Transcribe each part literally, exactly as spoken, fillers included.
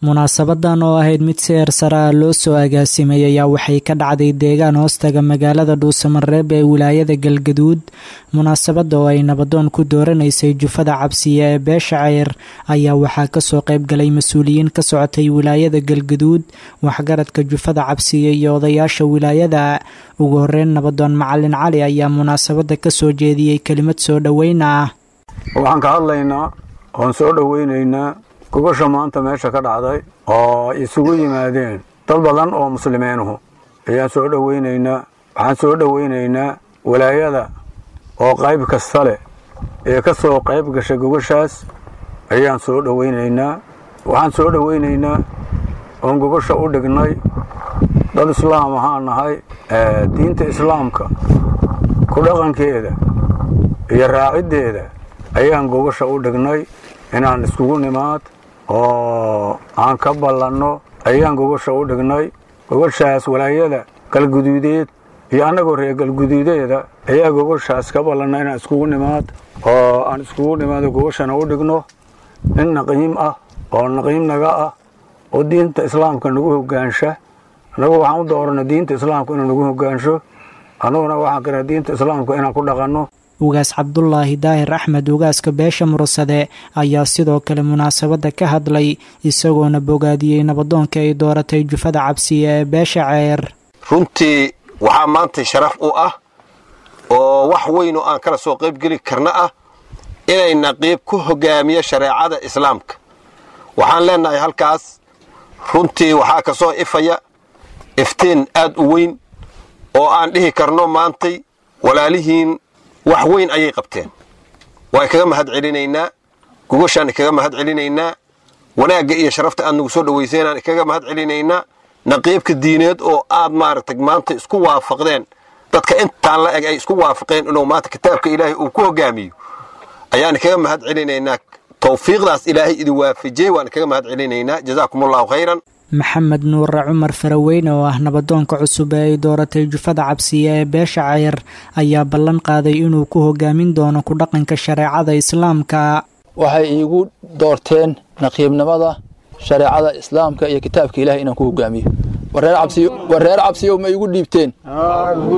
Munaasabadan oo ahayd mid si heer sare ah loo soo agaasimay ayaa waxay ka dhacday deegaan hoostaga magaalada Dhuusamareeb ee wilaayada Galgaduud. Munaasabadda oo ay nabadoon ku dooranaysay jufada Cabsiye ee beesha Ceyr ayaa waxaa kasoo qayb galay mas-uuliyiin ka socotay wilaayada Galgaduud, waxgaradka jufada Cabsiye iyo odayaasha wilaayada. Ugu horeyn, nabadoon Macalin Cali ayaa munaasabadda kasoo jeediyey kelimad soo dhoweyn ah. Waxaan ka hadlaynaa oon soo dhoweynaynaa gogosha maanta meesha ka dhacday oo isugu yimaadeen dad badan oo muslimiinuhu ayaan soo dhoweynaynaa. Waxaan soo dhoweynaynaa walaayada oo qayb kasta leh ee ka soo qayb gashay gogoshaas ayaan soo dhoweynaynaa. Waxaan soo dhoweynaynaa oon gogosha u dhignay dad islaam ahaan nahay, diinta islaamka ku dhaqankeeda iyo raaciddeeda ayaan gogosha u dhignay. Inaan iskugu nimaad oo aan ka ballanno ayaan gogosha u dhignay. Gogoshaas walaayada Galguduudeed iyo annagoo reer Galguduudeeda ayaa gogoshaas ka ballanna inaan iskugu nimaad oo aan iskugu nimaado, gogoshana u dhigno nin naqiim ah oo naqiim naga ah oo diinta islaamka nagu hogaansha. Annagu waxaan u dooranay diinta islaamka inuu nagu hogaansho, annaguna waxaan kanaa diinta islaamka inaan ku dhaqanno. Ugaas Cabdulaahi Daahir Axmed, ugaaska beesha Mursade, ayaa sidoo kale munaasabadda ka hadlay, isagoona bogaadiyey nabadoonka ay dooratay jufada Cabsiye ee beesha Ceyr. Runtii waxaa maanta sharaf u ah oo wax weyn oo aan kala soo qaybgeli karna ah inay naqiib ku hogaamiyo shareecada islaamka. Waxaan leenahay halkaas runtii waxaa ka soo ifaya iftiin aad u weyn oo aan dhihi karno maantay walaalihiin wax weyn ayay qabteen. Waan kaga mahad celinaynaa gogoshaan, kaga mahad celinaynaa wanaagga iyo sharafta aad nagu soo dhowayseenaan, kaga mahad celinaynaa naqiibka diineed oo aad maaragtay maanta isku waafaqdeen. Dadka intaan la eg ay isku waafaqeen inuu maanta kitaabka Ilaahay uu ku hogaamiyo ayaan kaga mahad celinaynaa. Tawfiiqdaas Ilaahay idin waafajiyey waan kaga mahad celinaynaa. Jazaakum Allahu khayran. Maxamed Nuure Cumar Faraweyne oo ah nabadoonka cusub ee ay dooratay jufada Cabsiye ee beesha Ceyr ayaa ballan qaaday inuu ku hogaamin doono ku dhaqanka shareecada islaamka. Waxay iigu doorteen naqiibnimada shareecada islaamka iyo kitaabka Ilahay inaan ku hogaamiyo. War reer Cabsiyow, ma iigu dhiibteen?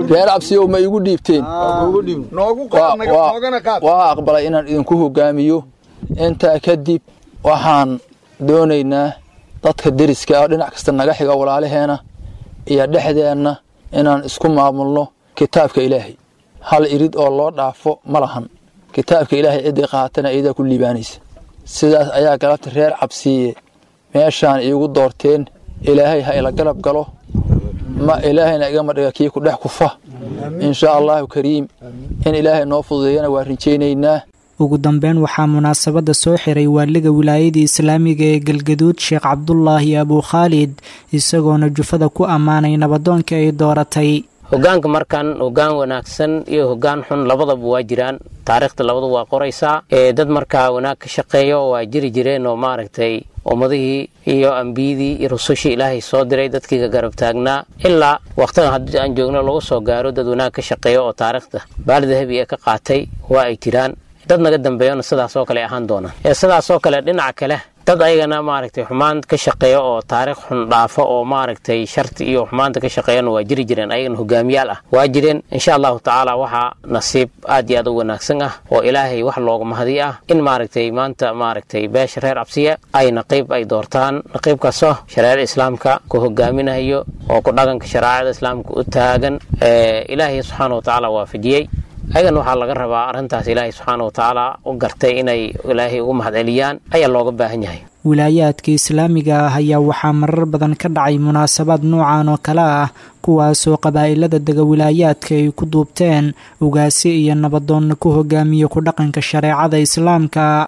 Reer Cabsiyow, ma iigu dhiibteen? Waa aqbalay inaan idinku hogaamiyo. Intaa kadib, waxaan doonaynaa dadka deriska ah, dhinac kasta naga xiga, walaalaheena iyo dhexdeenna inaan isku maamulno kitaabka Ilaahay. Hal irid oo loo dhaafo ma lahan. Kitaabka Ilaahay ciddii qaatana iyadaa ku liibaanaysa. Sidaas ayaa galabta reer Cabsiiye meeshaan iigu doorteen. Ilaahay ha ila galab galo, ma Ilaahayna igama dhiga kii ku dhex kufa. Inshaa Allahu kariim, in Ilaahay noo fududeeyana waa rajaynaynaa. Ugu dambeyn, waxaa munaasabadda soo xiray waaliga wilaayadii islaamiga ee Galgaduud, Sheekh Cabdulaahi Abukhaalid, isagoona jufada ku ammaanay nabadoonka ay dooratay. Hogaanka markan, hogaan wanaagsan iyo hogaan xun labadaba waa jiraan, taariikhda labadu waa qoraysaa. Dad markaa wanaag ka shaqeeyo waa jiri jireen oo maaragtay ummadihii iyo ambiyadii iyo rusushii Ilaahay soo diray dadkii ka garab taagnaa ilaa waqtigan haddii aan joogno lagu soo gaaro. Dad wanaag ka shaqeeyo oo taariikhda baal dahabi ee ka qaatay waa ay jiraan. Dad naga dambeeyona sidaasoo kale ahaan doonaan. Sidaasoo kale dhinaca kale, dad ayagana maaragtay xumaan ka shaqeeya oo taariikh xun dhaafo oo maaragtay sharti iyo xumaanta ka shaqeeyana waa jiri jireen, ayagana hogaamiyaal ah waa jireen. Insha Allahu tacaala, waxaa nasiib aad iyo aad u wanaagsan ah oo Ilaahay wax looga mahadi ah in maaragtay maanta maaragtay beesha reer Cabsiya ay naqiib ay doortaan, naqiibkaasoo shareecada islaamka ku hogaaminayo oo ku dhaqanka shareecada islaamka u taagan. Ilaahay subxaana wa tacaala waafajiyey. Ayagana waxaa laga rabaa arrintaas Ilaahay subxaana wa tacaala u gartay inay Ilaahay ugu mahadceliyaan ayaa looga baahan yahay. Wilaayaadka islaamiga ah ayaa waxaa marar badan ka dhacay munaasabaad noocan oo kale ah, kuwaasoo qabaa'ilada dega wilaayaadka ay ku duubteen ugaasi iyo nabadoonna ku hogaamiya ku dhaqanka shareecada islaamka.